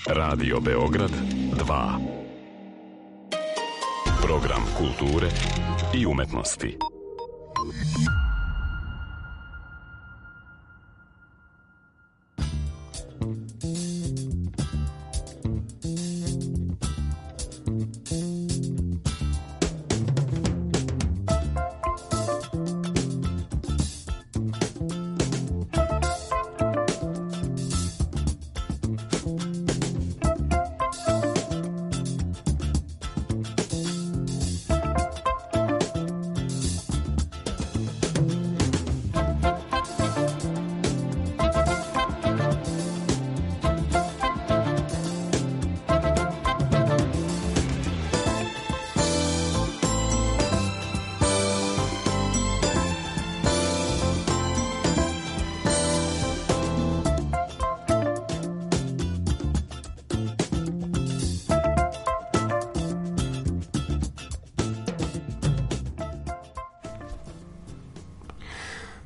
Radio Beograd 2. Program kulture i umetnosti.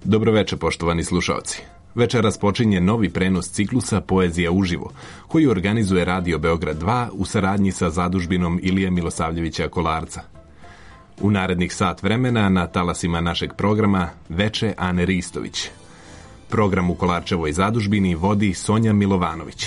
Dobroveče, poštovani slušaoci. Večeras počinje novi prenos ciklusa Poezija uživo, koji organizuje Radio Beograd 2 u saradnji sa zadužbinom Ilije Milosavljevića Kolarca. U narednih sat vremena na talasima našeg programa Veče Ane Ristović. Program u Kolarčevoj zadužbini vodi Sonja Milovanović.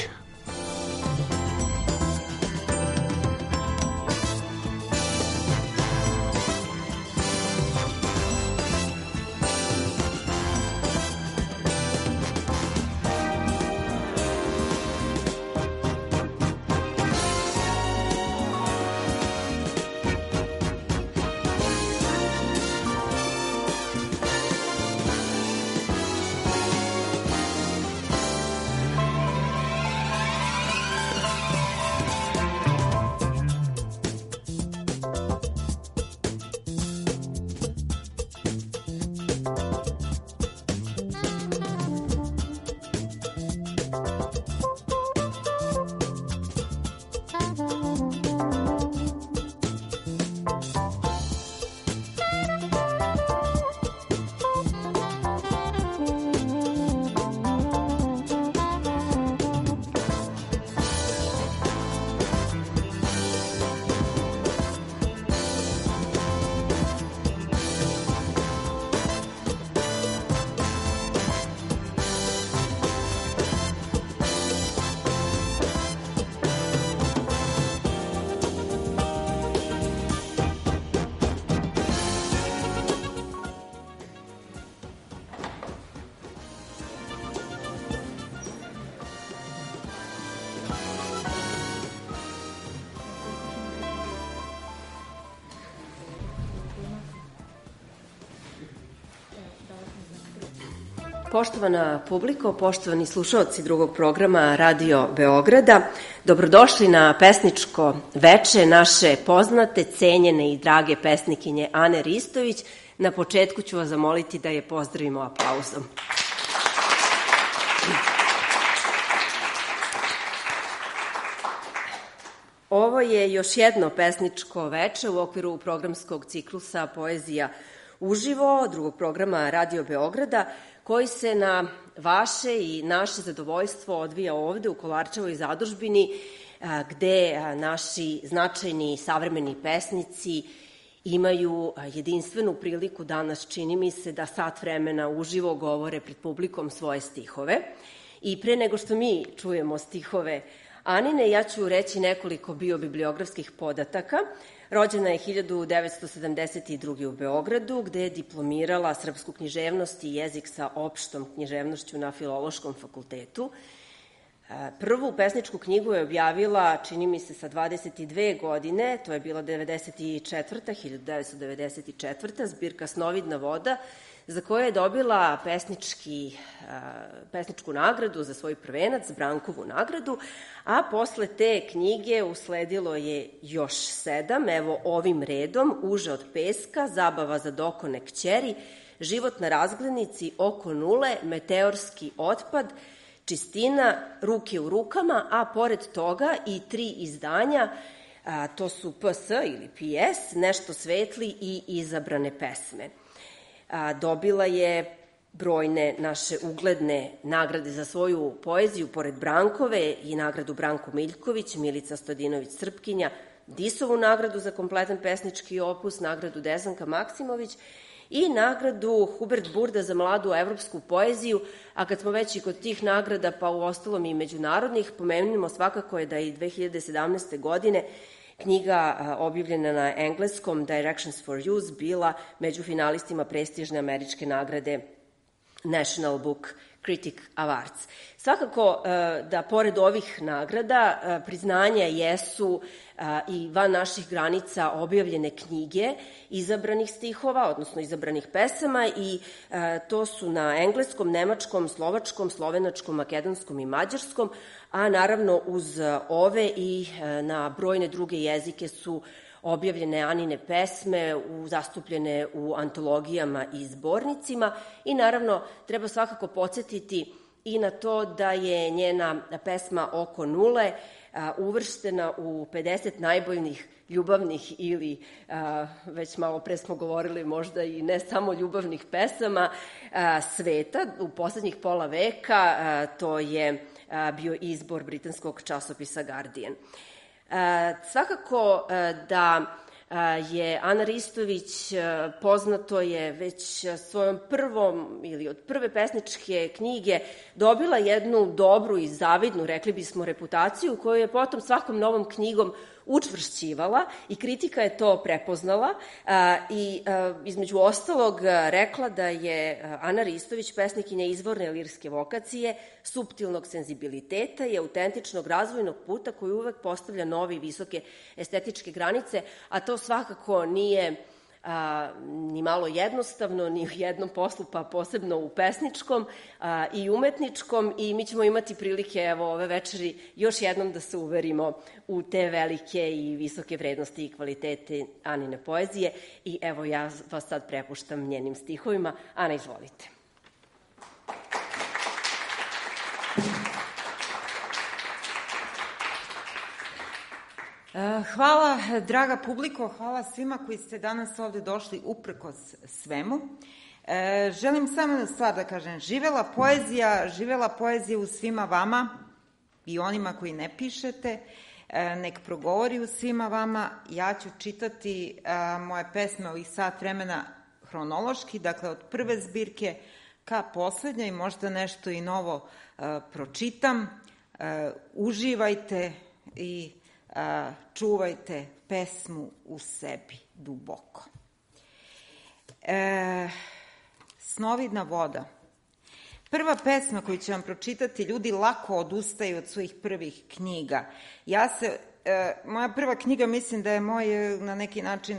Poštovana publiko, poštovani slušaoci drugog programa Radio Beograda, dobrodošli na pesničko veče naše poznate, cenjene i drage pesnikinje Ane Ristović. Na početku ću vas zamoliti da je pozdravimo aplauzom. Ovo je još jedno pesničko veče u okviru programskog ciklusa Poezija uživo, drugog programa Radio Beograda, koji se na vaše i naše zadovoljstvo odvija ovde u Kolarčevoj zadužbini, gde naši značajni savremeni pesnici imaju jedinstvenu priliku danas, čini mi se, da sat vremena uživo govore pred publikom svoje stihove. I pre nego što mi čujemo stihove Anine, ja ću reći nekoliko biobibliografskih podataka. Rođena je 1972. u Beogradu, gde je diplomirala srpsku književnost i jezik sa opštom književnošću na Filološkom fakultetu. Prvu pesničku knjigu je objavila, čini mi se, sa 22 godine, to je bila 1994. Zbirka Snovidna voda, za koju je dobila pesničku nagradu za svoj prvenac, Brankovu nagradu, a posle te knjige usledilo je još 7, evo ovim redom: Uže od peska, Zabava za dokone kćeri, Život na razglednici, Oko nule, Meteorski otpad, Čistina, Ruke u rukama, a pored toga i 3 izdanja, to su PS ili PS, Nešto svetli i Izabrane pesme. Dobila je brojne naše ugledne nagrade za svoju poeziju, pored Brankove i nagradu Branko Miljković, Milica Stojadinović-Srpkinja, Disovu nagradu za kompletan pesnički opus, nagradu Desanka Maksimović i nagradu Hubert Burda za mladu evropsku poeziju, a kad smo već i kod tih nagrada, pa u ostalom i međunarodnih, pomenimo svakako je da je i 2017. godine knjiga objavljena na engleskom Directions for Youth bila među finalistima prestižne američke nagrade National Book Critic Awards. Svakako da pored ovih nagrada priznanja jesu i van naših granica objavljene knjige izabranih stihova, odnosno izabranih pesama, i to su na engleskom, nemačkom, slovačkom, slovenačkom, makedonskom i mađarskom, a naravno uz ove i na brojne druge jezike su objavljene Anine pesme, zastupljene u antologijama i zbornicima, i naravno treba svakako podsjetiti i na to da je njena pesma Oko nule uvrštena u 50 najboljnih ljubavnih ili, već malo pre smo govorili, možda i ne samo ljubavnih pesama sveta u poslednjih pola veka. To je bio izbor britanskog časopisa Guardian. Svakako da je Ana Ristović, poznato je, već svojom prvom ili od prve pesničke knjige dobila jednu dobru i zavidnu, rekli bismo, reputaciju koju je potom svakom novom knjigom učvršćivala i kritika je to prepoznala i između ostalog rekla da je Ana Ristović pesnikinja izvorne lirske vokacije, suptilnog senzibiliteta i autentičnog razvojnog puta koji uvek postavlja nove i visoke estetičke granice, a to svakako nije ni malo jednostavno ni u jednom poslu, pa posebno u pesničkom i umetničkom, i mi ćemo imati prilike evo ove večeri još jednom da se uverimo u te velike i visoke vrednosti i kvalitete Anine poezije, i evo ja vas sad prepuštam njenim stihovima. Ana, izvolite. Hvala, draga publiko, hvala svima koji ste danas ovde došli uprkos svemu. Želim samo jednu stvar da kažem. Živela poezija u svima vama i onima koji ne pišete. Nek progovori u svima vama. Ja ću čitati moje pesme ovih sat vremena hronološki, dakle od prve zbirke ka poslednjoj, možda nešto i novo pročitam. Uživajte i čuvajte pesmu u sebi duboko. Snovidna voda. Prva pesma koju ću vam pročitati, ljudi lako odustaju od svojih prvih knjiga. Moja prva knjiga, mislim da je moj na neki način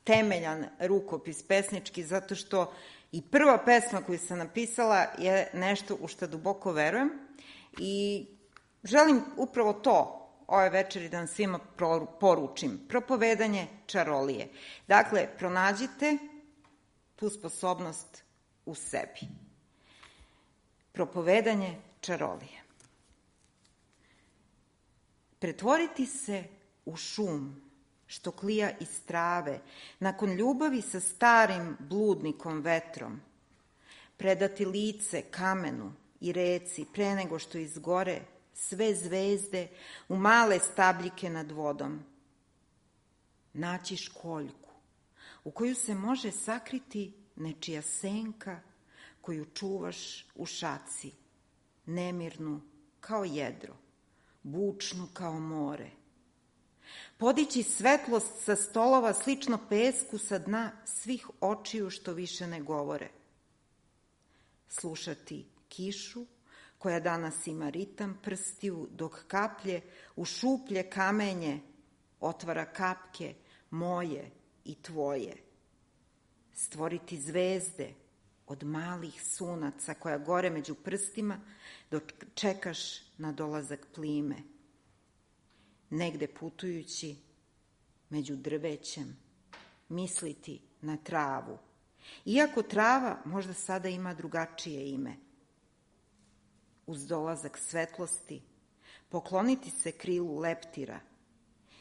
temeljan rukopis pesnički, zato što i prva pesma koju sam napisala je nešto u što duboko verujem i želim upravo to ove večeri da vam svima poručim. Propovedanje čarolije. Dakle, pronađite tu sposobnost u sebi. Propovedanje čarolije. Pretvoriti se u šum što klija iz trave, nakon ljubavi sa starim bludnikom vetrom. Predati lice kamenu i reci pre nego što izgore sve zvezde u male stabljike nad vodom. Naći školjku u koju se može sakriti nečija senka koju čuvaš u šaci, nemirnu kao jedro, bučnu kao more. Podići svetlost sa stolova slično pesku sa dna svih očiju što više ne govore. Slušati kišu koja danas ima ritam prstiju, dok kaplje u šuplje kamenje otvara kapke moje i tvoje. Stvoriti zvezde od malih sunaca koja gore među prstima dok čekaš na dolazak plime. Negde putujući među drvećem misliti na travu, iako trava možda sada ima drugačije ime. Uz dolazak svetlosti pokloniti se krilu leptira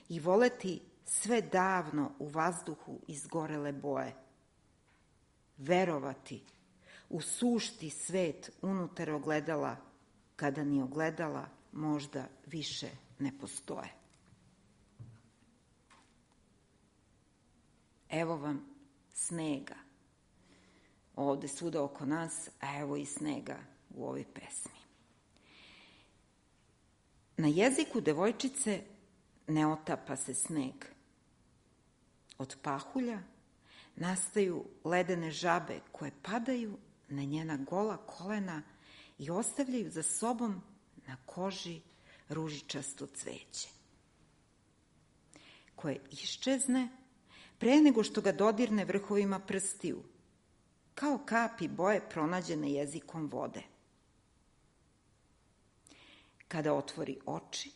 i voleti sve davno u vazduhu izgorele boje. Verovati usušti svet unutar ogledala, kada ni ogledala možda više ne postoje. Evo vam snega. Ovde svuda oko nas, a evo i snega u ovoj pesmi. Na jeziku devojčice ne otapa se sneg. Od pahulja nastaju ledene žabe koje padaju na njena gola kolena i ostavljaju za sobom na koži ružičasto cveće, koje iščezne pre nego što ga dodirne vrhovima prstiju, kao kapi boje pronađene jezikom vode. Kada otvori oči,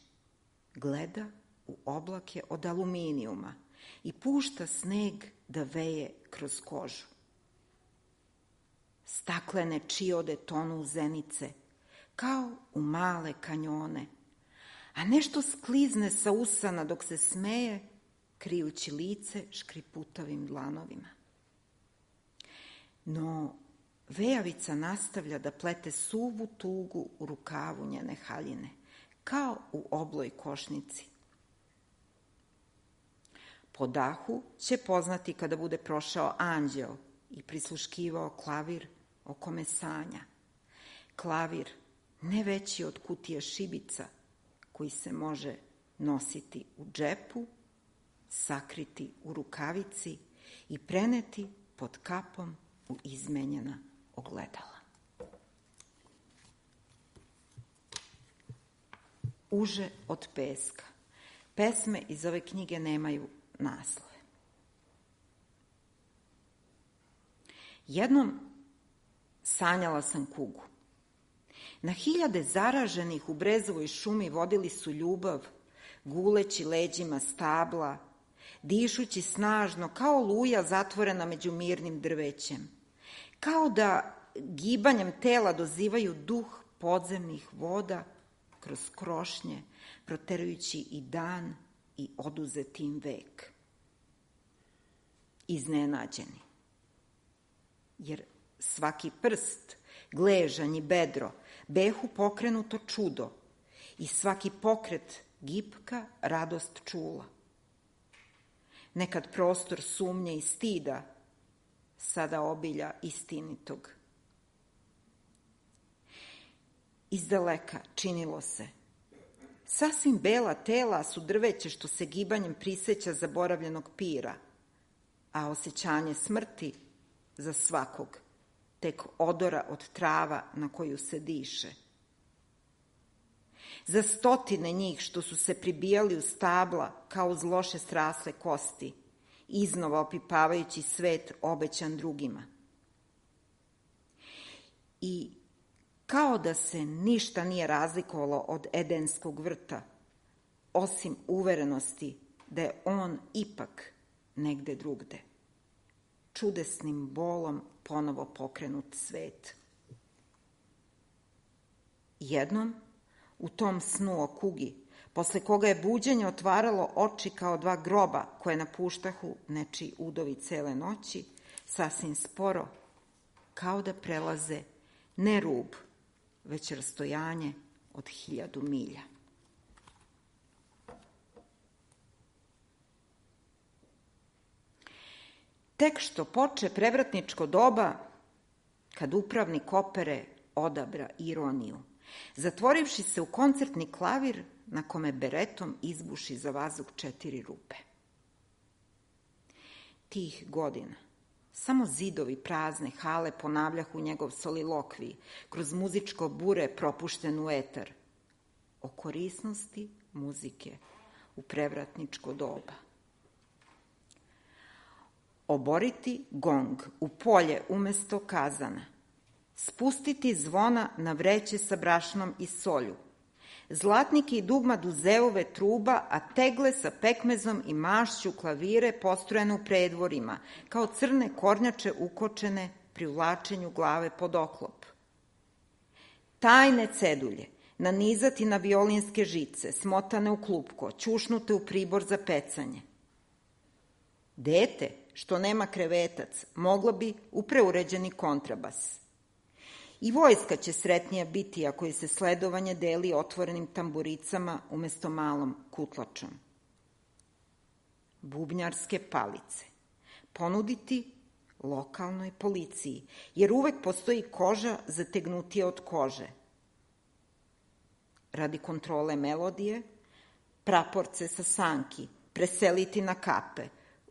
gleda u oblake od aluminijuma i pušta sneg da veje kroz kožu. Staklene čiode tonu u zenice, kao u male kanjone, a nešto sklizne sa usana dok se smeje, krijući lice škriputavim dlanovima. No, vejavica nastavlja da plete suvu tugu u rukavu njene haljine, kao u obloj košnici. Po dahu će poznati kada bude prošao anđeo i prisluškivao klavir o kome sanja. Klavir ne veći od kutije šibica, koji se može nositi u džepu, sakriti u rukavici i preneti pod kapom u izmenjena ogledala. Uže od peska. Pesme iz ove knjige nemaju naslove. Jednom sanjala sam kugu. Na hiljade zaraženih u brezovoj šumi vodili su ljubav, guleći leđima stabla, dišući snažno kao luja zatvorena među mirnim drvećem, kao da gibanjem tela dozivaju duh podzemnih voda kroz krošnje, proterujući i dan i oduzeti im vek. Iznenađeni, jer svaki prst, gležanj i bedro behu pokrenuto čudo i svaki pokret gipka radost čula. Nekad prostor sumnje i stida, sada obilja istinitog. Izdaleka činilo se. Sasvim bela tela su drveće što se gibanjem priseća zaboravljenog pira, a osjećanje smrti za svakog, tek odora od trava na koju se diše. Za stotine njih što su se pribijali u stabla kao uz loše srasle kosti, iznova opipavajući svet obećan drugima. I kao da se ništa nije razlikovalo od Edenskog vrta, osim uverenosti da je on ipak negde drugde. Čudesnim bolom ponovo pokrenut svet. Jednom, u tom snu o kugi, posle koga je buđenje otvaralo oči kao dva groba koje napuštahu nečiji udovi cele noći, sasvim sporo, kao da prelaze ne rub, već rastojanje od 1000 milja. Tek što poče prevratničko doba, kad upravnik opere odabra ironiju, zatvorivši se u koncertni klavir na kome beretom izbuši za vazduh 4 rupe. Tih godina samo zidovi prazne hale ponavljahu njegov solilokvij kroz muzičko bure propušten u etar o korisnosti muzike u prevratničko doba. Oboriti gong u polje umesto kazana, spustiti zvona na vreće sa brašnom i solju, zlatnike i dugma duzeove truba, a tegle sa pekmezom i mašću klavire postrojene u predvorima, kao crne kornjače ukočene pri uvlačenju glave pod oklop. Tajne cedulje nanizati na violinske žice, smotane u klupko, ćušnute u pribor za pecanje. Dete, što nema krevetac, mogla bi u preuređeni kontrabas I vojska će sretnija biti ako je se sledovanje deli otvorenim tamburicama umesto malom kutlačom. Bubnjarske palice ponuditi lokalnoj policiji, jer uvek postoji koža zategnutija od kože. Radi kontrole melodije, praporce sa sanki preseliti na kape.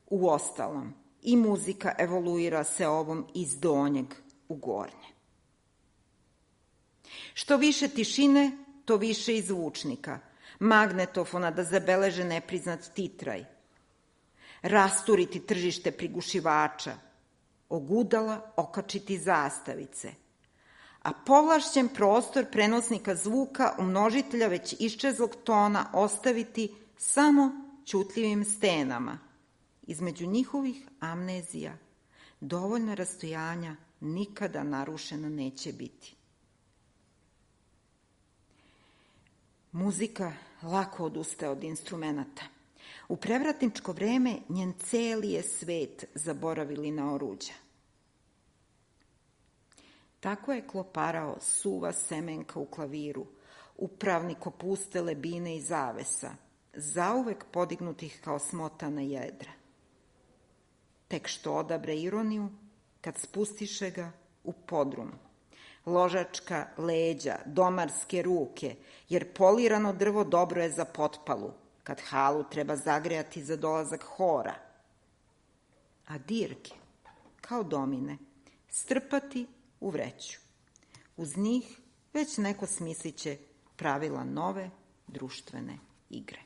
Uostalom, i muzika evoluira se ovom iz donjeg u gornje. Što više tišine, to više i zvučnika, magnetofona da zabeleže nepriznat titraj, rasturiti tržište prigušivača, ogudala okačiti zastavice, a povlašćen prostor prenosnika zvuka u množitelja već iščezlog tona ostaviti samo ćutljivim stenama. Između njihovih amnezija dovoljna rastojanja nikada narušena neće biti. Muzika lako odustaje od instrumenta. U prevratničko vreme njen celi je svet zaboravili na oruđa. Tako je kloparao suva semenka u klaviru, upravnik opuste lebine i zavesa, zauvek podignutih kao smotana jedra. Tek što odabre ironiju, kad spustiše ga u podrum. Ložačka leđa, domarske ruke, jer polirano drvo dobro je za potpalu, kad halu treba zagrejati za dolazak hora. A dirke, kao domine, strpati u vreću. Uz njih već neko smisliće pravila nove društvene igre.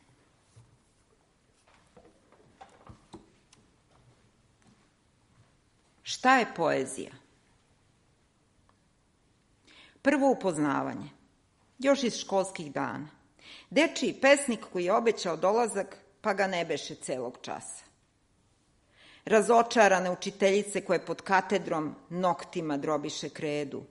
Šta je poezija? Prvo upoznavanje, još iz školskih dana. Dečiji pesnik koji je obećao dolazak, pa ga ne beše celog časa. Razočarane učiteljice koje pod katedrom noktima drobiše kredu.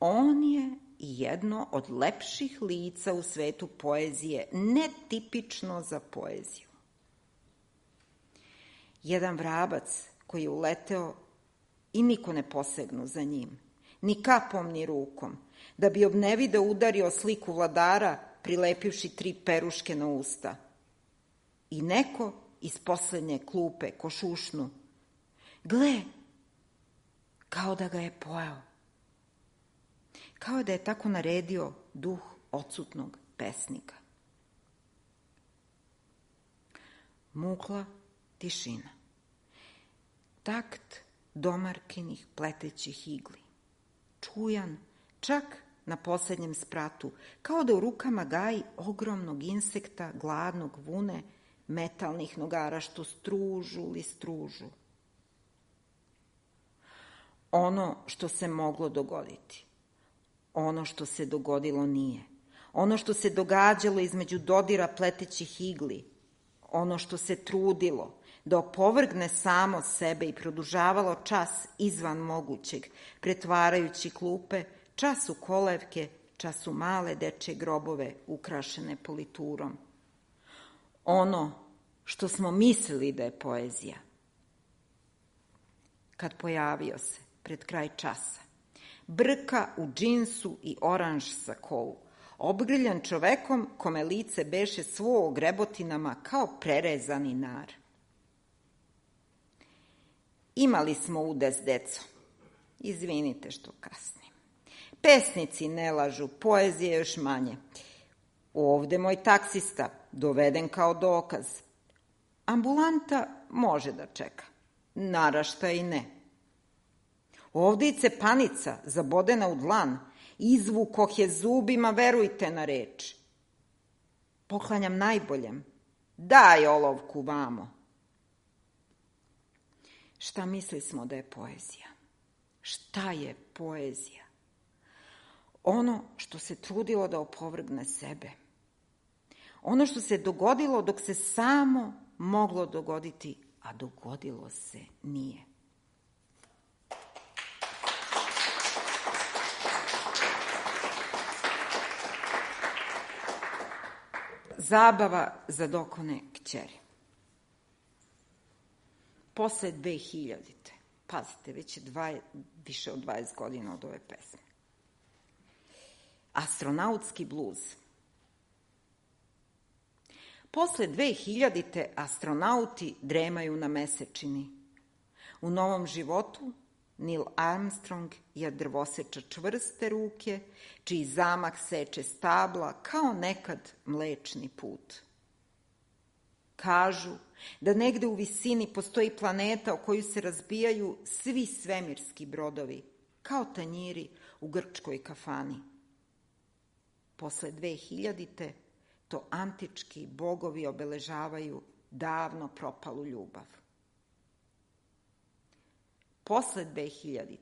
On je jedno od lepših lica u svetu poezije, netipično za poeziju. Jedan vrabac koji je uleteo i niko ne posegnu za njim, ni kapom, ni rukom, da bi obnevideo udario sliku vladara, prilepivši 3 peruške na usta. I neko iz poslednje klupe košušnu. Gle, kao da ga je pojao. Kao da je tako naredio duh odsutnog pesnika. Mukla tišina. Takt domarkinih pletećih igli. Čujan, čak na poslednjem spratu, kao da u rukama gaji ogromnog insekta, gladnog vune, metalnih nogara što stružu li stružu. Ono što se moglo dogoditi, ono što se dogodilo nije, ono što se događalo između dodira pletećih igli, ono što se trudilo da opovrgne samo sebe i produžavalo čas izvan mogućeg, pretvarajući klupe čas u kolevke, čas u male dečje grobove ukrašene politurom. Ono što smo mislili da je poezija. Kad pojavio se pred kraj časa, brka u džinsu i oranž sakou, obgrljan čovekom kome lice beše svo grebotinama kao prerezani nar. Imali smo udes, deco. Izvinite što kasnim. Pesnici ne lažu, poezije još manje. Ovde moj taksista, doveden kao dokaz. Ambulanta može da čeka, narašta i ne. Ovde i cepanica, zabodena u dlan, izvukoh je zubima, verujte na reč. Poklanjam najboljem, daj olovku vamo. Šta misli smo da je poezija? Šta je poezija? Ono što se trudilo da opovrgne sebe. Ono što se dogodilo dok se samo moglo dogoditi, a dogodilo se nije. Zabava za dokone kćeri. Posle 2000. Pazite, već je više od 20 godina od ove pesme. Astronautski bluz. Posle 2000. astronauti dremaju na mesečini. U novom životu Neil Armstrong je drvoseča čvrste ruke, čiji zamah seče stabla kao nekad Mlečni put. Kažu da negde u visini postoji planeta o koju se razbijaju svi svemirski brodovi, kao tanjiri u grčkoj kafani. Posle 2000. to antički bogovi obeležavaju davno propalu ljubav. Posle 2000.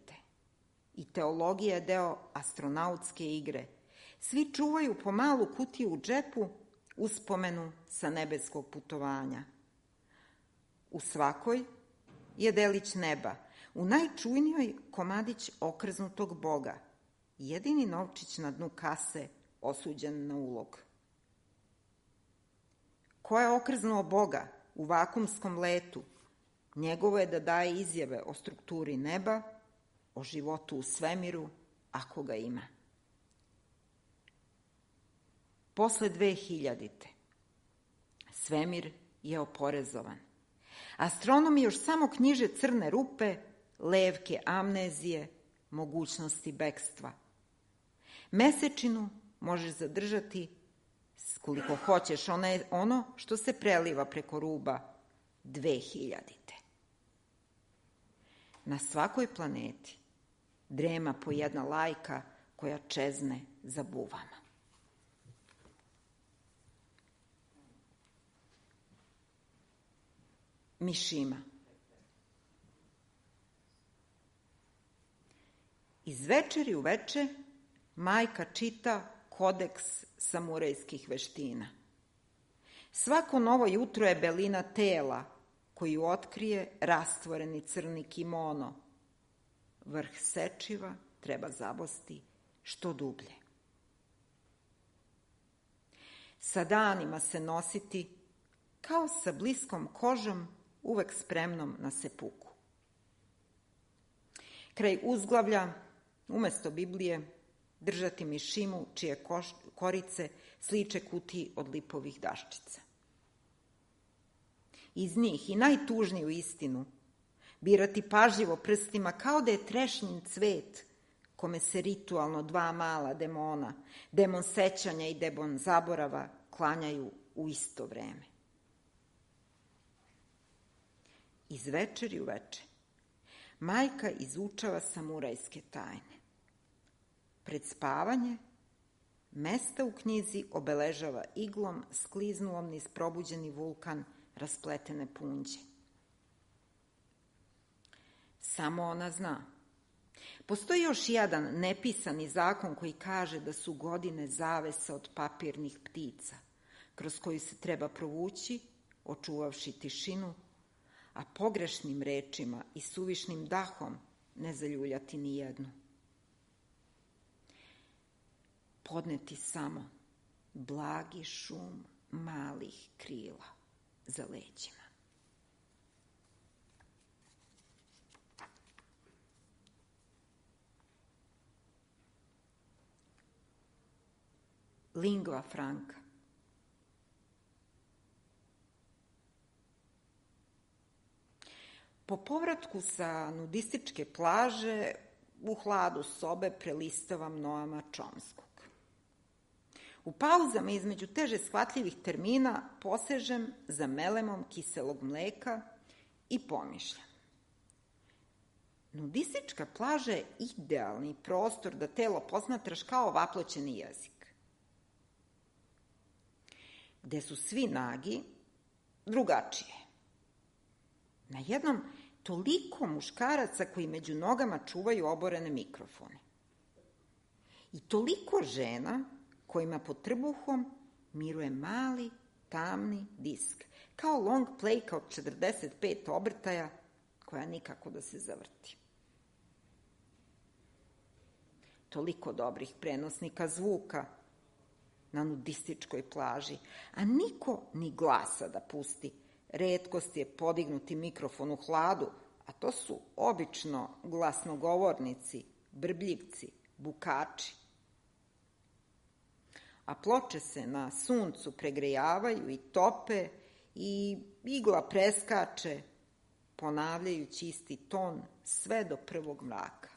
i teologija je deo astronautske igre. Svi čuvaju po malu kutiju u džepu uspomenu sa nebeskog putovanja. U svakoj je delić neba, u najčujnijoj komadić okrznutog Boga, jedini novčić na dnu kase osuđen na ulog. Ko je okrznuo Boga u vakumskom letu, njegovo je da daje izjave o strukturi neba, o životu u svemiru, ako ga ima. Posle 2000. svemir je oporezovan. Astronomi još samo knjiže crne rupe, levke amnezije, mogućnosti bekstva. Mesečinu možeš zadržati koliko hoćeš, ono što se preliva preko ruba 2000. Na svakoj planeti drema po jedna lajka koja čezne za buvama. Mišima. Iz večeri u veče majka čita kodeks samurajskih veština. Svako novo jutro je belina tela koju otkrije rastvoreni crni kimono. Vrh sečiva treba zabosti što dublje. Sa danima se nositi kao sa bliskom kožom, uvek spremnom na sepuku. Kraj uzglavlja, umesto Biblije, držati mišimu čije korice sliče kutiji od lipovih daščica. Iz njih i najtužniju istinu birati pažljivo prstima kao da je trešnjin cvet kome se ritualno dva mala demona, demon sećanja i demon zaborava, klanjaju u isto vreme. Iz večeri u veče majka izučava samurajske tajne. Pred spavanje mesta u knjizi obeležava iglom skliznulom niz probuđeni vulkan raspletene punđe. Samo ona zna. Postoji još jedan nepisani zakon koji kaže da su godine zavesa od papirnih ptica, kroz koju se treba provući, očuvavši tišinu, a pogrešnim rečima i suvišnim dahom ne zaljuljati ni jednu. Podneti samo blagi šum malih krila za leđima. Lingua franca. Po povratku sa nudističke plaže u hladu sobe prelistavam Noama Chomskog. U pauzama između teže shvatljivih termina posežem za melemom kiselog mleka i pomišljam. Nudistička plaža je idealni prostor da telo posmatraš kao vaploćeni jezik. Gde su svi nagi, drugačije. Na jednom toliko muškaraca koji među nogama čuvaju oborene mikrofone. I toliko žena kojima pod trbuhom miruje mali, tamni disk, kao long playka od 45 obrtaja, koja nikako da se zavrti. Toliko dobrih prenosnika zvuka na nudističkoj plaži, a niko ni glasa da pusti. Retkost je podignuti mikrofon u hladu, a to su obično glasnogovornici, brbljivci, bukači. a ploče se na suncu pregrejavaju i tope i igla preskače, ponavljajući isti ton sve do prvog mraka.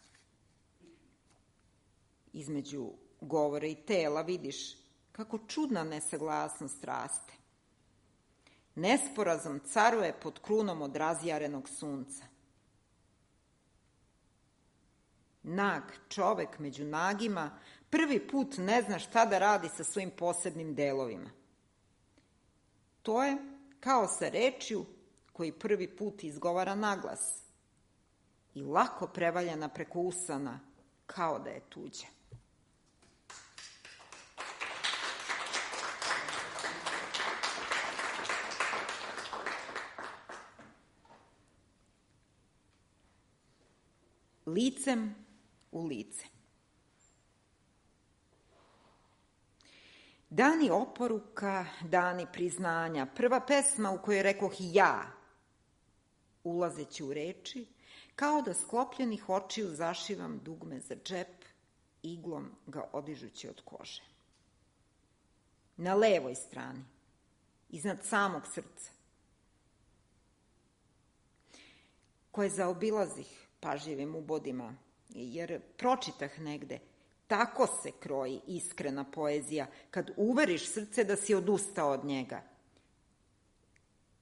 Između govora i tela vidiš kako čudna nesaglasnost raste. Nesporazum caruje pod krunom od razjarenog sunca. Nag čovek među nagima prvi put ne zna šta da radi sa svojim posebnim delovima. To je kao sa rečju koji prvi put izgovara naglas i lako prevaljena preko usana kao da je tuđa. Licem u lice. Dani oporuka, dani priznanja, prva pesma u kojoj rekoh ja, ulazeći u reči, kao da sklopljenih očiju zašivam dugme za džep, iglom ga odižući od kože. Na levoj strani, iznad samog srca, koje zaobilazih pažljivim ubodima, jer pročitah negde, tako se kroji iskrena poezija, kad uveriš srce da si odustao od njega.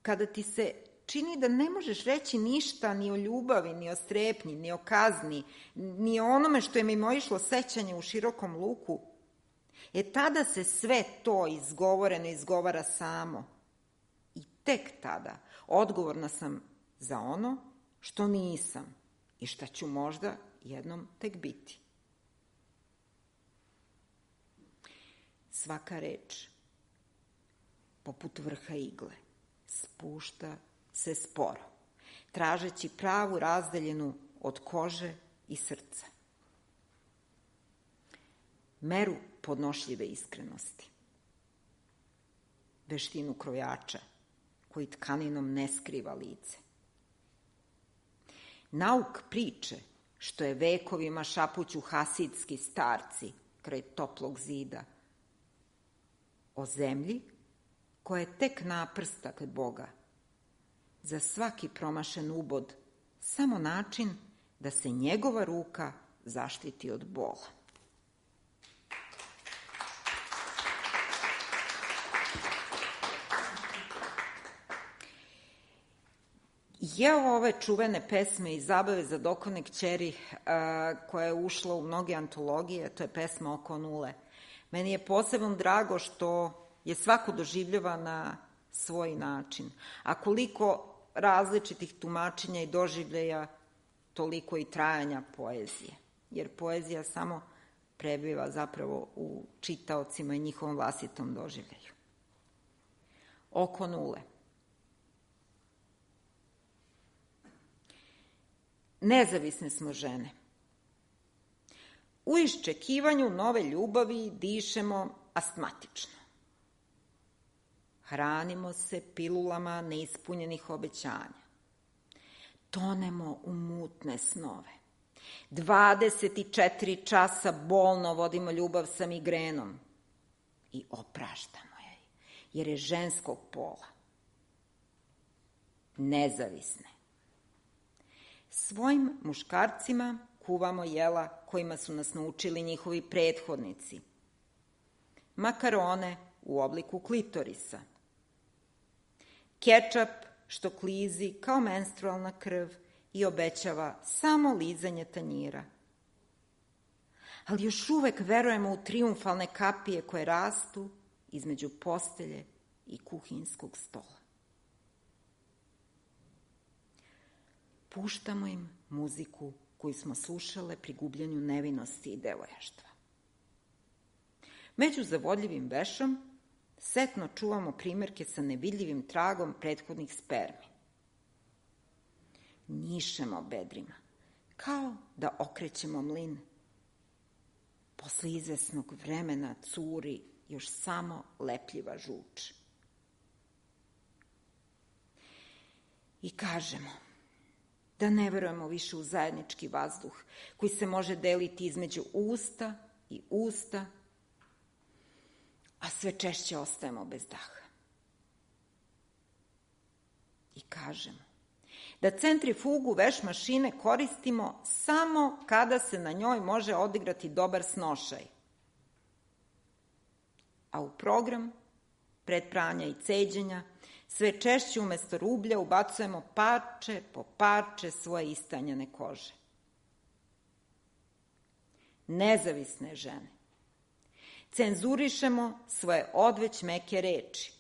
Kada ti se čini da ne možeš reći ništa ni o ljubavi, ni o strepnji, ni o kazni, ni o onome što je mimoišlo sećanje u širokom luku, tada se sve to izgovoreno izgovara samo. I tek tada odgovorna sam za ono što nisam i šta ću možda jednom tek biti. Svaka reč, poput vrha igle, spušta se sporo, tražeći pravu razdaljenu od kože i srca. Meru podnošljive iskrenosti. Veštinu krojača, koji tkaninom ne skriva lice. Nauk priče, što je vekovima šapuću hasidski starci kraj toplog zida, o zemlji koja je tek naprsta kod Boga. Za svaki promašen ubod samo način da se njegova ruka zaštiti od bola. Evo ove čuvene pesme i zabave za dokone kćeri koja je ušla u mnoge antologije, to je pesma Oko nule. Meni je posebno drago što je svako doživljava na svoj način. A koliko različitih tumačenja i doživljaja, toliko i trajanja poezije. Jer poezija samo prebiva zapravo u čitaocima i njihovom vlastitom doživljaju. Oko nule. Nezavisne smo žene. U iščekivanju nove ljubavi dišemo astmatično. Hranimo se pilulama neispunjenih obećanja. Tonemo u mutne snove. 24 časa bolno vodimo ljubav sa migrenom i opraštamo je, jer je ženskog pola. Nezavisne. Svojim muškarcima kuvamo jela kojima su nas naučili njihovi prethodnici. Makarone u obliku klitorisa. Kečap što klizi kao menstrualna krv i obećava samo lizanje tanjira. Ali još uvek verujemo u trijumfalne kapije koje rastu između postelje i kuhinskog stola. Puštamo im muziku koju smo slušale pri gubljenju nevinosti i devojaštva. Među zavodljivim vešom setno čuvamo primerke sa nevidljivim tragom prethodnih spermi. Njišemo bedrima, kao da okrećemo mlin. Posle izvesnog vremena curi još samo lepljiva žuč. I kažemo da ne verujemo više u zajednički vazduh koji se može deliti između usta i usta, a sve češće ostajemo bez daha. I kažemo da centrifugu veš mašine koristimo samo kada se na njoj može odigrati dobar snošaj. A u program, pred pranja i ceđenja, sve češće umesto rublja ubacujemo parče po parče svoje istanjene kože. Nezavisne žene. Cenzurišemo svoje odveć meke reči.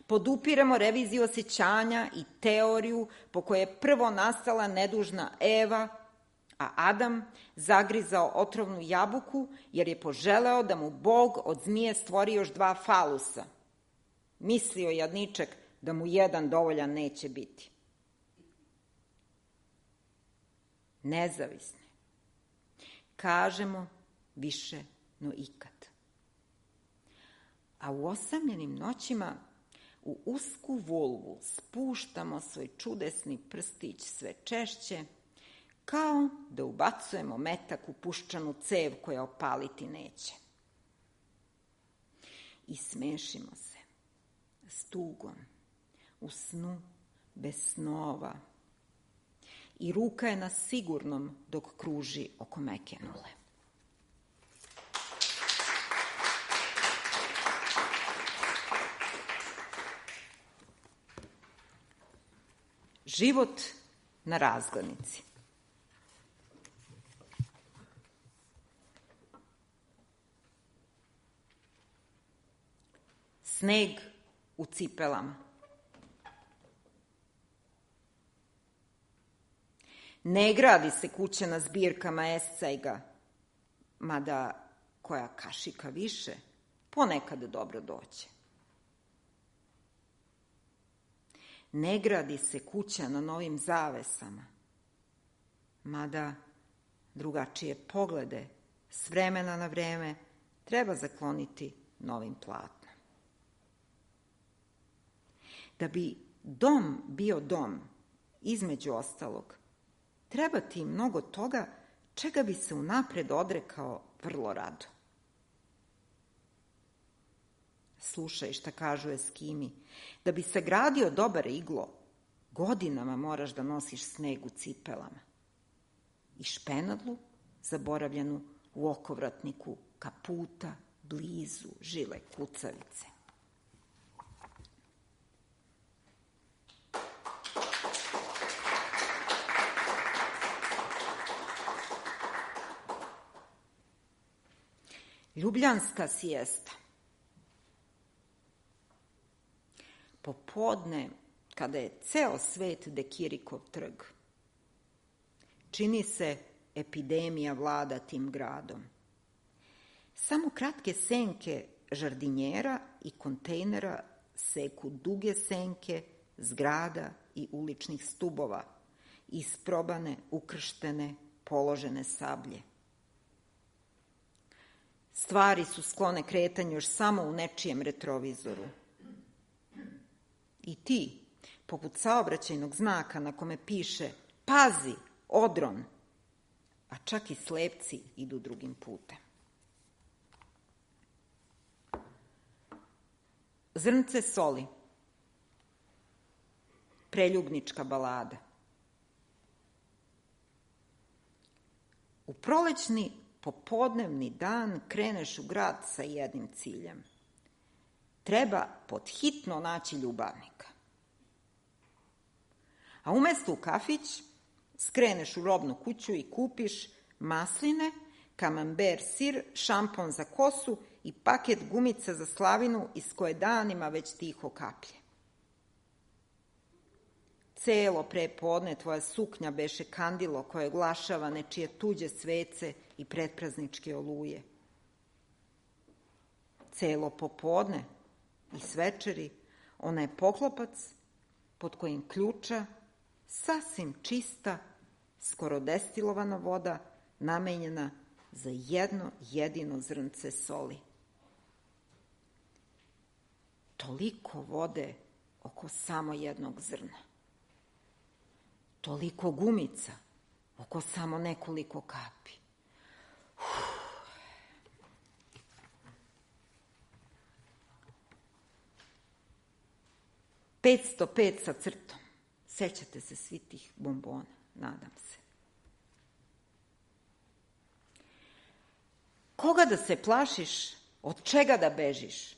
Podupiramo reviziju osjećanja i teoriju po kojoj je prvo nastala nedužna Eva, a Adam zagrizao otrovnu jabuku jer je poželeo da mu Bog od zmije stvori još 2 falusa. Mislio jadniček da mu jedan dovoljan neće biti. Nezavisne. Kažemo više no ikad. A u osamljenim noćima u usku vulvu spuštamo svoj čudesni prstić sve češće, kao da ubacujemo metak u puščanu cev koja opaliti neće. I smešimo se s tugom, u snu, bez snova. I ruka je na sigurnom dok kruži oko meke nule. Život na razglednici. Sneg u cipelama. Ne gradi se kuća na zbirkama escejga, mada koja kašika više ponekad dobro doće. Ne gradi se kuća na novim zavesama, mada drugačije poglede s vremena na vreme treba zakloniti novim platnom. Da bi dom bio dom, između ostalog, treba ti mnogo toga čega bi se unapred odrekao vrlo rado. Slušaj šta kažu Eskimi. Da bi sagradio dobar iglo, godinama moraš da nosiš sneg u cipelama. I špenadlu, zaboravljenu u okovratniku kaputa, blizu žile kucavice. Ljubljanska siesta. Popodne, kada je ceo svet Dekirikov trg, čini se epidemija vlada tim gradom. Samo kratke senke žardinjera i kontejnera seku duge senke zgrada i uličnih stubova, isprobane, ukrštene, položene sablje. Stvari su sklone kretanju još samo u nečijem retrovizoru. I ti, poput saobraćajnog znaka na kome piše pazi, odron, a čak i slepci idu drugim putem. Zrnce soli. Preljubnička balada. U prolećni popodnevni dan kreneš u grad sa jednim ciljem. Treba podhitno naći ljubavnika. A umesto u kafić, skreneš u robnu kuću i kupiš masline, kamamber sir, šampon za kosu i paket gumica za slavinu iz koje danima već tiho kaplje. Celo prepodne tvoja suknja beše kandilo koje oglašava nečije tuđe svece i pretprazničke oluje. Celo popodne i svečeri ona je poklopac pod kojim ključa sasvim čista, skoro destilovana voda namenjena za jedno jedino zrnce soli. Toliko vode oko samo jednog zrna. Toliko gumica oko samo nekoliko kapi. 505 sa crtom. Sećate se svi tih bombona, nadam se. Koga da se plašiš, od čega da bežiš?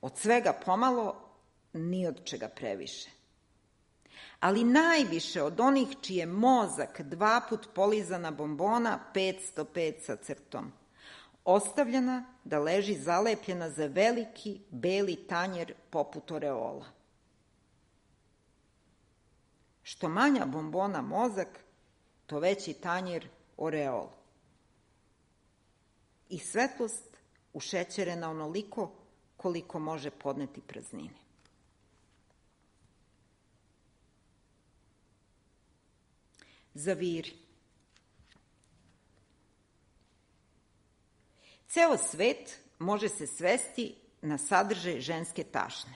Od svega pomalo, ni od čega previše. Ali najviše od onih čiji je mozak 2 put polizana bombona 505 sa crtom, ostavljena da leži zalepljena za veliki beli tanjer poput oreola. Što manja bombona mozak, to veći tanjer oreol. I svetlost ušećerena onoliko koliko može podneti praznine. Zaviri. Ceo svet može se svesti na sadržaj ženske tašne.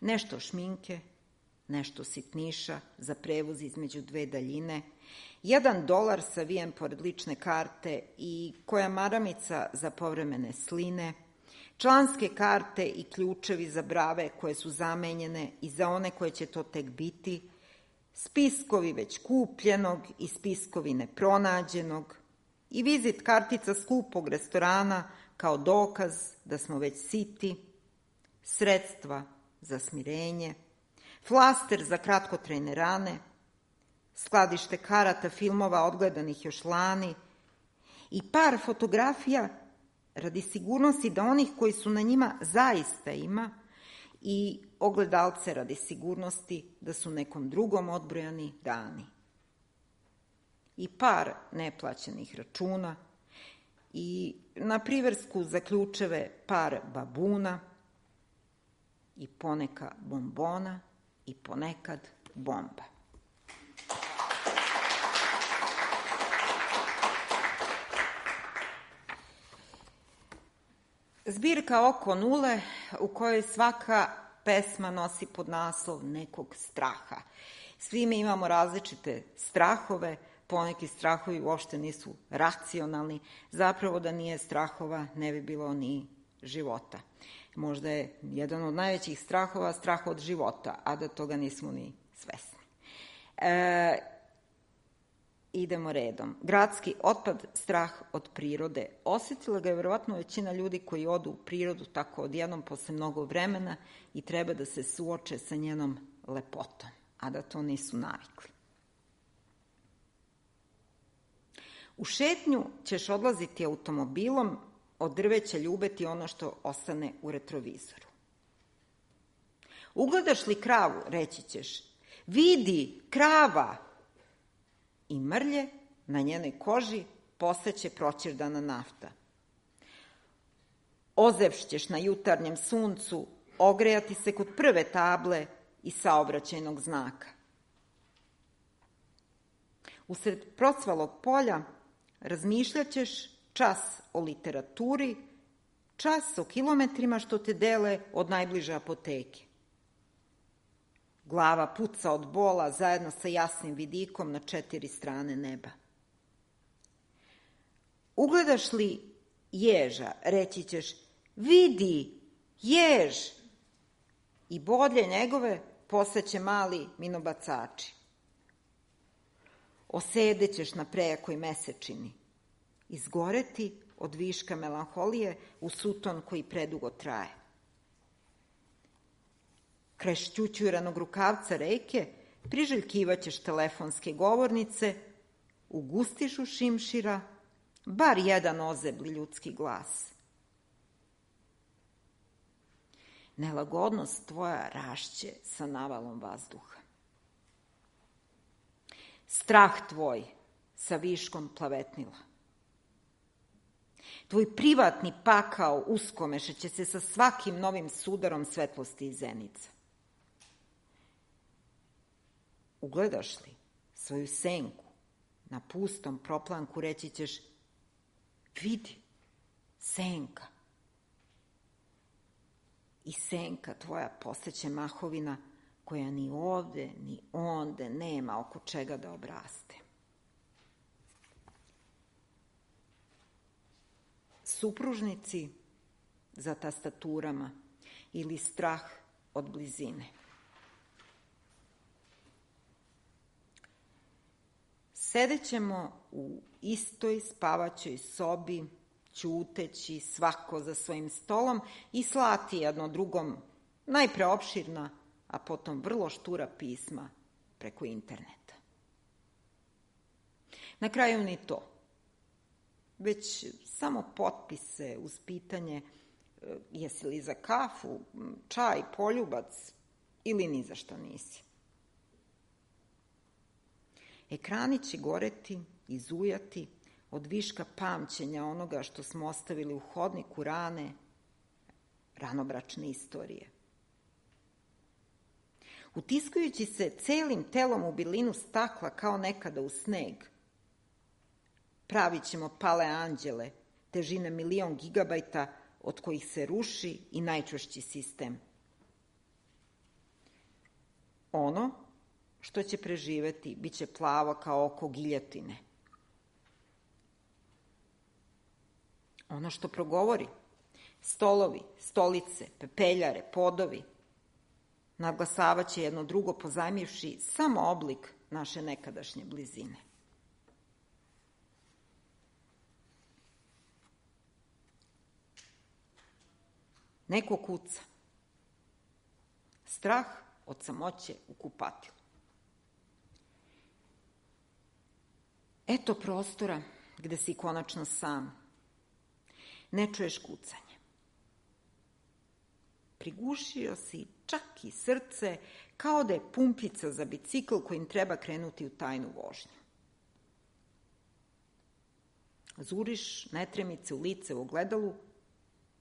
Nešto šminke, nešto sitniša za prevoz između 2 daljine, $1 savijen pored lične karte i koja maramica za povremene sline, članske karte i ključevi za brave koje su zamenjene i za one koje će to tek biti, spiskovi već kupljenog i spiskovi nepronađenog i vizit kartica skupog restorana kao dokaz da smo već siti, sredstva za smirenje, flaster za kratkotrajne rane, skladište karata filmova odgledanih još lani i par fotografija radi sigurnosti da onih koji su na njima zaista ima i ogledalce radi sigurnosti da su nekom drugom odbrojani dani. I par neplaćenih računa i na priversku za ključeve par babuna i poneka bombona i ponekad bomba. Zbirka Oko nule u kojoj svaka pesma nosi pod naslov nekog straha. Svi mi imamo različite strahove, poneki strahovi uopšte nisu racionalni, zapravo da nije strahova ne bi bilo ni života. Možda je jedan od najvećih strahova strah od života, a da toga nismo ni svesni. Idemo redom. Gradski otpad, strah od prirode. Osjetila ga je verovatno većina ljudi koji odu u prirodu tako odjednom posle mnogo vremena i treba da se suoče sa njenom lepotom, a da to nisu navikli. U šetnju ćeš odlaziti automobilom, od drveća ljubeti ono što ostane u retrovizoru. Ugledaš li kravu, reći ćeš, vidi, krava! I mrlje na njenoj koži postaće proćerdana nafta. Ozevšćeš na jutarnjem suncu, ogrejati se kod prve table i saobraćajnog znaka. Usred procvalog polja razmišljaćeš čas o literaturi, čas o kilometrima što te dele od najbliže apoteke. Glava puca od bola zajedno sa jasnim vidikom na 4 strane neba. Ugledaš li ježa, reći ćeš, vidi, jež! I bodlje njegove postaće mali minobacači. Osedećeš na prejakoj mesečini, izgoreti od viška melanholije u suton koji predugo traje. Kraj šćućuranog rukavca reke priželjkivaćeš telefonske govornice, u gustišu šimšira, bar jedan ozebli ljudski glas. Nelagodnost tvoja rašće sa navalom vazduha. Strah tvoj sa viškom plavetnila. Tvoj privatni pakao uskomešeće se sa svakim novim sudarom svetlosti i zenica. Ugledaš li svoju senku na pustom proplanku, reći ćeš, vidi, senka. I senka tvoja postaće mahovina koja ni ovde, ni onde nema oko čega da obraste. Supružnici za tastaturama ili strah od blizine. Sedećemo u istoj spavaćoj sobi, ćuteći svako za svojim stolom i slati jedno drugom najpre opširna, a potom vrlo štura pisma preko interneta. Na kraju ni to, već samo potpise uz pitanje jesi li za kafu, čaj, poljubac ili ni za šta nisi. Ekrani će goreti i zujati od viška pamćenja onoga što smo ostavili u hodniku rane, ranobračne istorije. Utiskujući se celim telom u bilinu stakla kao nekada u sneg, pravit ćemo pale anđele, težine 1.000.000 gigabajta od kojih se ruši i najčvršći sistem. Ono što će preživeti bit će plavo kao oko giljotine. Ono što progovori, stolovi, stolice, pepeljare, podovi, nadglasavaće jedno drugo pozajmivši samo oblik naše nekadašnje blizine. Neko kuca. Strah od samoće u kupatilu. Eto prostora gde si konačno sam. Ne čuješ kucanje. Prigušio si čak i srce kao da je pumpica za bicikl kojim treba krenuti u tajnu vožnju. Zuriš netremice u lice u ogledalu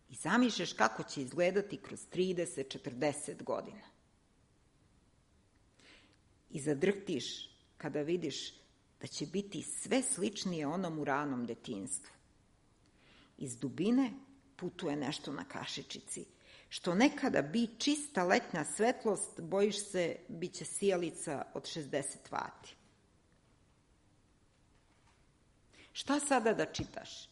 i zamišljaš kako će izgledati kroz 30-40 godina. I zadrhtiš kada vidiš da će biti sve sličnije onom u ranom detinjstvu. Iz dubine putuje nešto na kašičici, što nekada bi čista letnja svetlost, bojiš se, bit će sijalica od 60 vati. Šta sada da čitaš?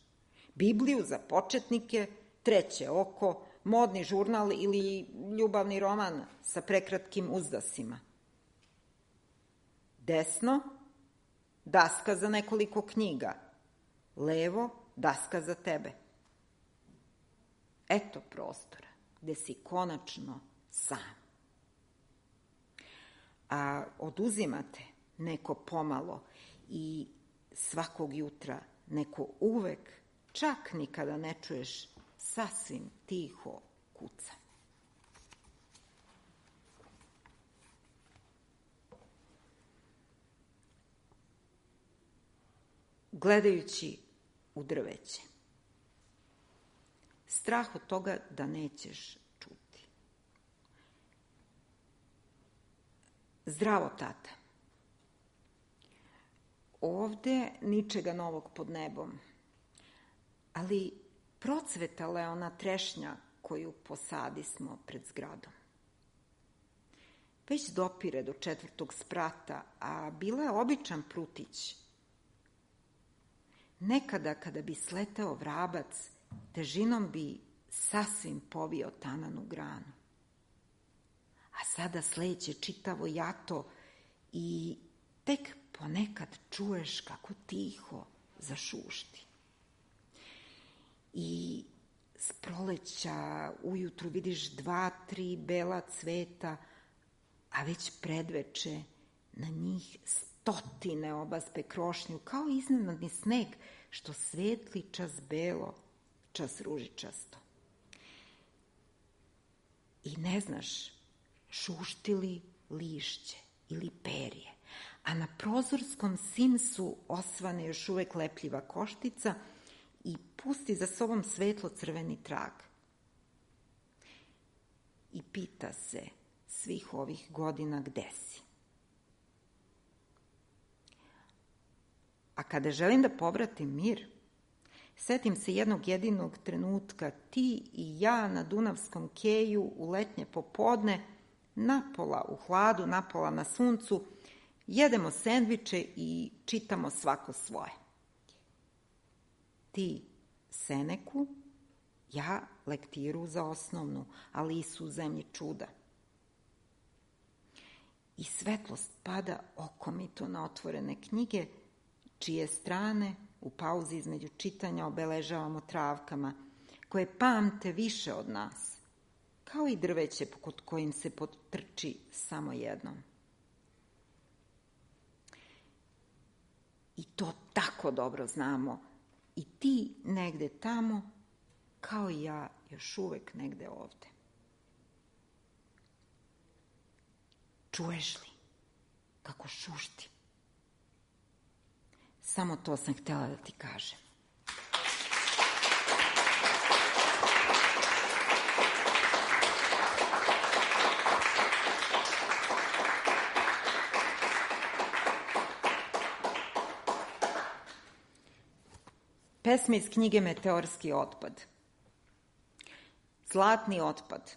Bibliju za početnike, Treće oko, modni žurnal ili ljubavni roman sa prekratkim uzdasima? Desno, daska za nekoliko knjiga. Levo, daska za tebe. Eto prostora gde si konačno sam. A oduzimate neko pomalo i svakog jutra neko uvek, čak nikada ne čuješ, sasvim tiho kuca. Gledajući u drveće. Strah od toga da nećeš čuti. Zdravo, tata. Ovde ničega novog pod nebom, ali procvetala je ona trešnja koju posadismo pred zgradom. Već dopire do 4. sprata, a bila je običan prutić. Nekada kada bi sleteo vrabac, težinom bi sasvim povio tananu granu. A sada sleće čitavo jato i tek ponekad čuješ kako tiho zašušti. I s proleća ujutru vidiš 2-3 bela cveta, a već predveče na njih 100 obaspe krošnju, kao iznenadni sneg što svetli čas belo, čas ružičasto. I ne znaš, šušti li lišće ili perje, a na prozorskom simsu osvane još uvek lepljiva koštica i pusti za sobom svetlo crveni trag. I pita se svih ovih godina gde si. A kada želim da povratim mir, setim se jednog jedinog trenutka, ti i ja na Dunavskom keju u letnje popodne, napola u hladu, napola na suncu, jedemo sendviče i čitamo svako svoje. Ti Seneku, ja lektiru za osnovnu, Alisu u zemlji čuda. i svetlost pada okomito na otvorene knjige, čije strane u pauzi između čitanja obeležavamo travkama, koje pamte više od nas, kao i drveće kod kojim se potrči samo jednom. I to tako dobro znamo, i ti negde tamo, kao i ja još uvek negde ovde. Čuješ li kako šušti? Samo to sam htjela da ti kažem. Pesma iz knjige Meteorski otpad. Zlatni otpad.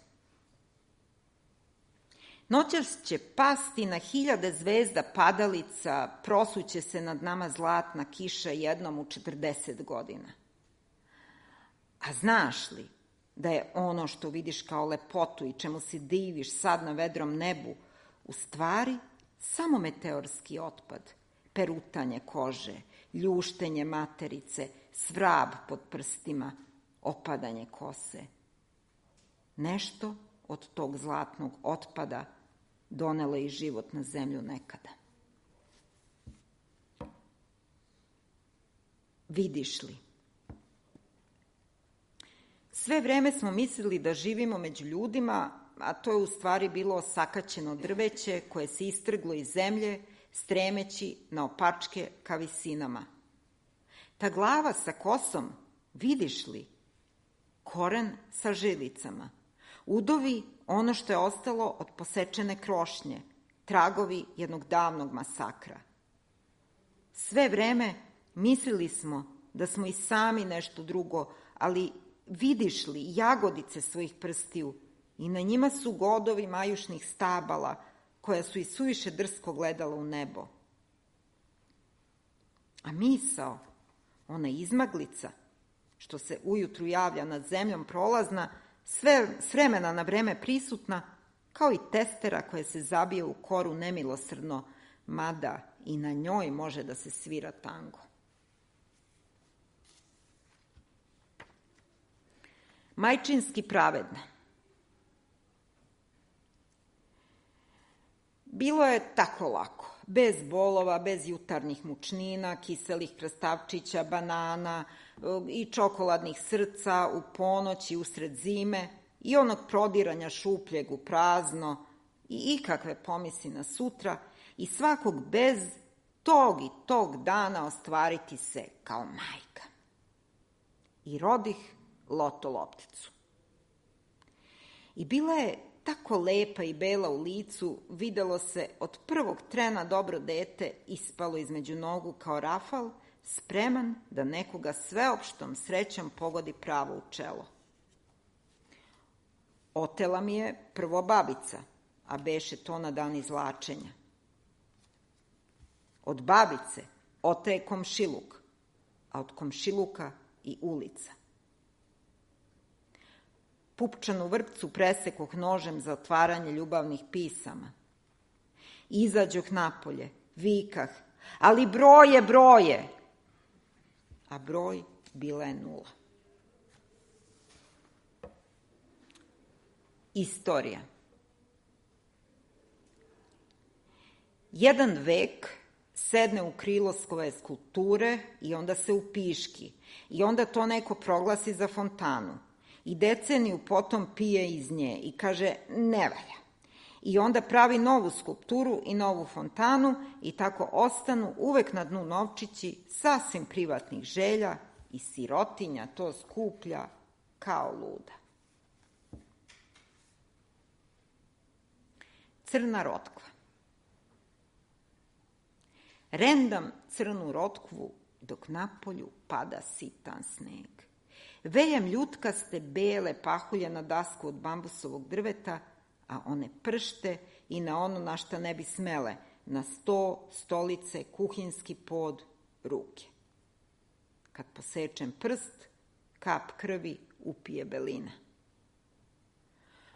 Noćas će pasti na 1000 zvezda padalica, prosuće se nad nama zlatna kiša jednom u 40 godina. A znaš li da je ono što vidiš kao lepotu i čemu se diviš sad na vedrom nebu, u stvari samo meteorski otpad, perutanje kože, ljuštenje materice, svrab pod prstima, opadanje kose. Nešto od tog zlatnog otpada donelo i život na zemlju nekada. Vidiš li? Sve vreme smo mislili da živimo među ljudima, a to je u stvari bilo osakaćeno drveće koje se istrglo iz zemlje, stremeći na opačke ka visinama. Ta glava sa kosom, vidiš li? Koren sa žilicama. Udovi ono što je ostalo od posečene krošnje, tragovi jednog davnog masakra. Sve vreme mislili smo da smo i sami nešto drugo, ali vidiš li jagodice svojih prstiju i na njima su godovi majušnih stabala koja su i suviše drsko gledala u nebo. A misao, ona izmaglica, što se ujutru javlja nad zemljom prolazna, s vremena na vreme prisutna, kao i testera koja se zabije u koru nemilosrdno, mada i na njoj može da se svira tango. Majčinski pravedna. Bilo je tako lako, bez bolova, bez jutarnjih mučnina, kiselih krastavčića, banana i čokoladnih srca u ponoć i usred zime i onog prodiranja šupljeg u prazno i ikakve pomisli na sutra i svakog bez tog i tog dana ostvariti se kao majka. I rodih loto lopticu. I bila je tako lepa i bela u licu, videlo se od prvog trena dobro dete ispalo između nogu kao rafal, spreman da nekoga sveopštom srećom pogodi pravo u čelo. Otela mi je prvo babica, a beše to na dan izvlačenja. Od babice otaje komšiluk, a od komšiluka i ulica. Pupčanu vrpcu presekoh nožem za otvaranje ljubavnih pisama. Izađoh napolje, vikah, ali broje, broje! A broj bila je 0. Istorija. Jedan vek sedne u krilo svoje skulpture i onda se upiški i onda to neko proglasi za fontanu. I deceniju potom pije iz nje i kaže ne valja. I onda pravi novu skulpturu i novu fontanu i tako ostanu uvek na dnu novčići sasvim privatnih želja i sirotinja to skuplja kao luda. Crna rotkva. Rendam crnu rotkvu dok napolju pada sitan sneg. Vejem ljutkaste bele pahulje na dasku od bambusovog drveta, a one pršte i na ono na šta ne bi smele, na sto, stolice, kuhinski pod, ruke. Kad posečem prst, kap krvi upije belina.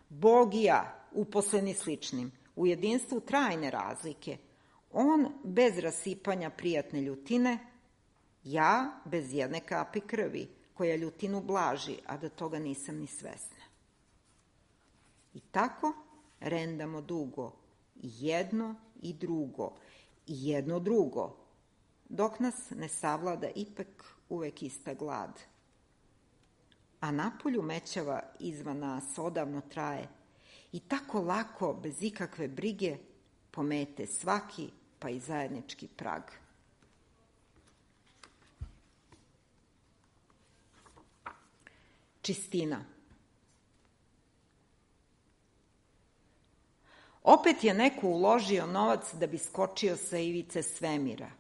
Bog i ja, uposleni sličnim, u jedinstvu trajne razlike, on bez rasipanja prijatne ljutine, ja bez jedne kapi krvi, koja ljutinu blaži, a da toga nisam ni svesna. I tako rendamo dugo, i jedno i drugo, i jedno drugo, dok nas ne savlada ipak uvek ista glad. A napolju mećava izvan nas odavno traje i tako lako, bez ikakve brige, pomete svaki, pa i zajednički prag. Čistina. Opet je neko uložio novac da bi skočio sa ivice svemira,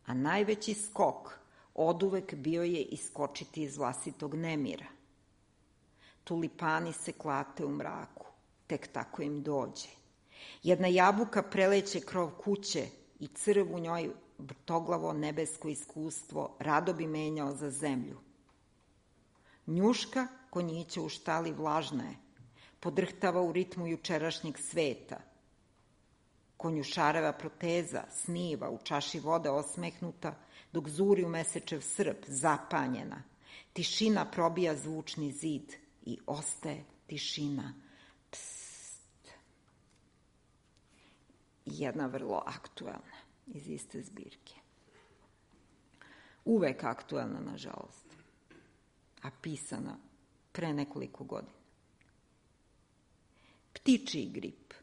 a najveći skok oduvek bio je iskočiti iz vlastitog nemira. Tulipani se klate u mraku, tek tako im dođe. Jedna jabuka preleće krov kuće i crv u njoj vrtoglavo nebesko iskustvo rado bi menjao za zemlju. Njuška konjića u štali vlažna je, podrhtava u ritmu jučerašnjeg sveta. Konjušareva proteza sniva u čaši vode osmehnuta, dok zuri u mesečev srp, zapanjena. Tišina probija zvučni zid i ostaje tišina. Pst. Jedna vrlo aktuelna iz iste zbirke. Uvek aktuelna, nažalost, a pisana pre nekoliko godina. Ptičiji grip,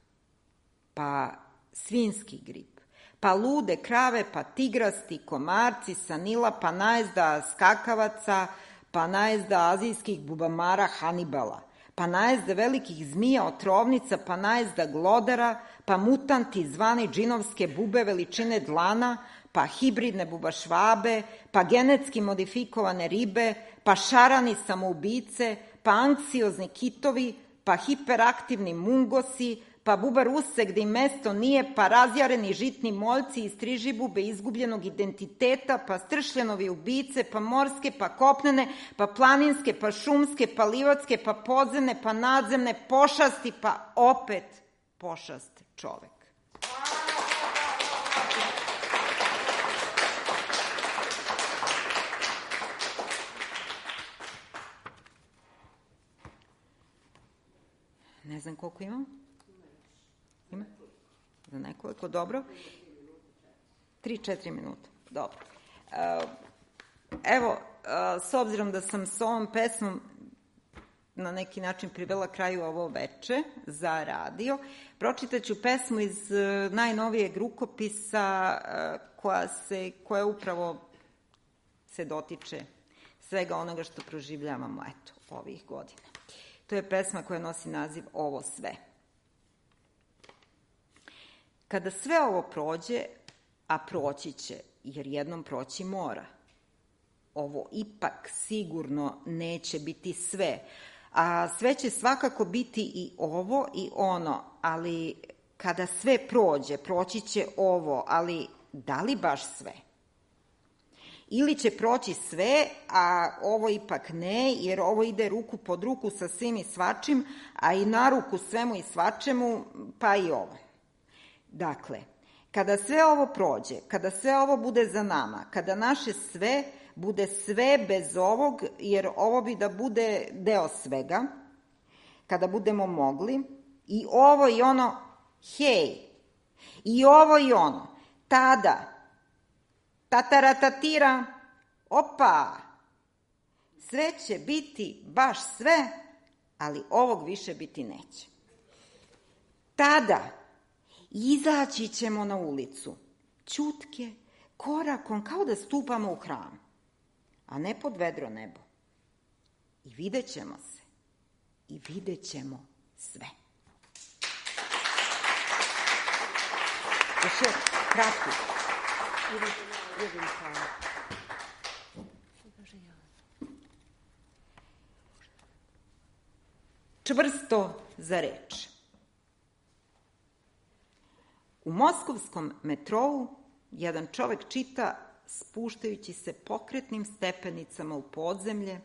pa svinski grip, pa lude krave, pa tigrasti, komarci sa Nila, pa najezda skakavaca, pa najezda azijskih bubamara Hanibala, pa najezda velikih zmija otrovnica, pa najezda glodara, pa mutanti zvani džinovske bube veličine dlana, pa hibridne bubašvabe, pa genetski modifikovane ribe, pa šarani samoubice, pa anksiozni kitovi, pa hiperaktivni mungosi, pa buba ruse gde im mesto nije, pa razjareni žitni moljci iz trižibube izgubljenog identiteta, pa stršljenovi ubice, pa morske, pa kopnene, pa planinske, pa šumske, pa livatske, pa podzemne, pa nadzemne, pošasti, pa opet pošast čovek. Ne znam koliko imam. Ima? Za nekoliko, dobro. 3-4 minuta, dobro. Evo, s obzirom da sam s ovom pesmom na neki način privela kraju ovo veče za radio, pročitaću pesmu iz najnovijeg rukopisa koja upravo se dotiče svega onoga što proživljavamo, eto, ovih godina. To je pesma koja nosi naziv Ovo sve. Kada sve ovo prođe, a proći će, jer jednom proći mora, ovo ipak sigurno neće biti sve, a sve će svakako biti i ovo i ono, ali kada sve prođe, proći će ovo, ali da li baš sve? Ili će proći sve, a ovo ipak ne, jer ovo ide ruku pod ruku sa svim i svačim, a i na ruku svemu i svačemu, pa i ovo. Dakle, kada sve ovo prođe, kada sve ovo bude za nama, kada naše sve bude sve bez ovog, jer ovo bi da bude deo svega, kada budemo mogli, i ovo i ono, hej, i ovo i ono, tada, tataratatira, opa, sve će biti baš sve, ali ovog više biti neće. Tada izaći ćemo na ulicu, ćutke, korakom, kao da stupamo u hram, a ne pod vedro nebo. I vidjet ćemo se, i vidjet ćemo sve. Još je kratko. Čvrsto za reč. U moskovskom metrou jedan čovek čita spuštajući se pokretnim stepenicama u podzemlje,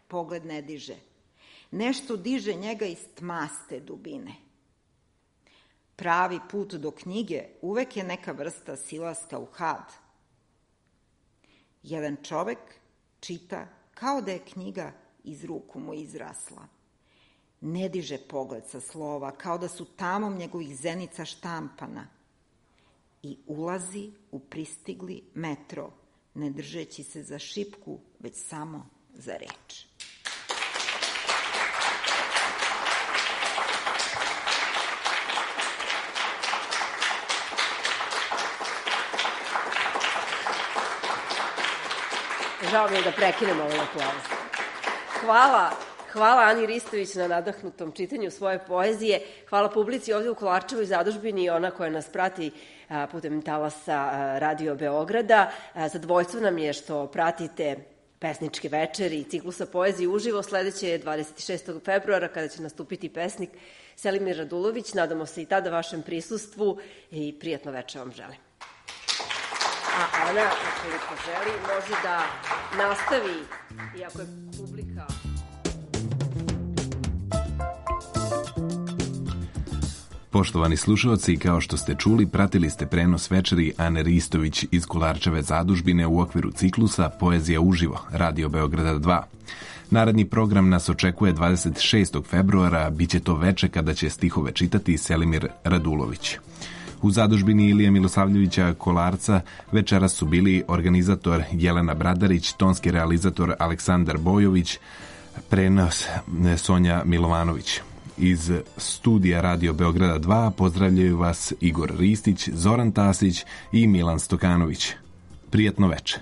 pogled ne diže. Nešto diže njega iz tmaste dubine. Pravi put do knjige uvek je neka vrsta silaska u had. Jedan čovek čita kao da je knjiga iz ruku mu izrasla. Ne diže pogled sa slova, kao da su tamom njegovih zenica štampana. I ulazi u pristigli metro, ne držeći se za šipku, već samo za reč. Žao mi je da prekinemo ovaj aplauz. Hvala Ani Ristović na nadahnutom čitanju svoje poezije. Hvala publici ovde u Kolarčevoj zadužbini, ona koja nas prati putem talasa Radio Beograda. Zadovoljstvo nam je što pratite pesničke večeri i ciklusa poezije uživo. Sledeće je 26. februara kada će nastupiti pesnik Selimir Radulović. Nadamo se i tada vašem prisustvu i prijatno večer vam želim. A Ana, ukoliko želi, može da nastavi, iako je publika... Poštovani slušalci, kao što ste čuli, pratili ste prenos večeri Ane Ristović iz Kolarčeve zadužbine u okviru ciklusa Poezija uživo, Radio Beograda 2. Naredni program nas očekuje 26. februara, biće to veče kada će stihove čitati Selimir Radulović. U zadužbini Ilije Milosavljevića Kolarca večeras su bili organizator Jelena Bradarić, tonski realizator Aleksandar Bojović, prenos Sonja Milovanović. Iz studija Radio Beograda 2 pozdravljaju vas Igor Ristić, Zoran Tasić i Milan Stokanović. Prijatno veče.